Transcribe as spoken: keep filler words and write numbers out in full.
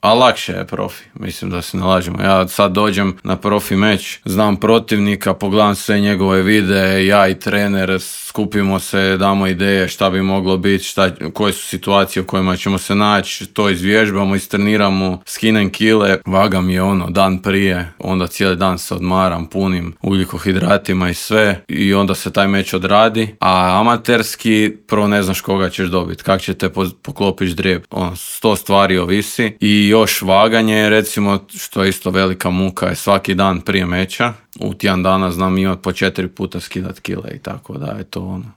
A lakše je profi, mislim da se ne lažemo. Ja sad dođem na profi meč, znam protivnika, pogledam sve njegove videe, ja i trener, skupimo se, damo ideje šta bi moglo biti, šta, koje su situacije u kojima ćemo se naći, to izvježbamo, istreniramo, skinem kile, vagam je ono dan prije, onda cijeli dan se odmaram, punim ugljikohidratima i sve i onda se taj meč odradi, a amaterski prvo ne znaš koga ćeš dobiti, kak će te poklopiš drijeb, ono, sto stvari ovisi i još vaganje, recimo, što je isto velika muka, je svaki dan prije meča, u tjedan dana znam imat po četiri puta skidat kile i tako da je to ono.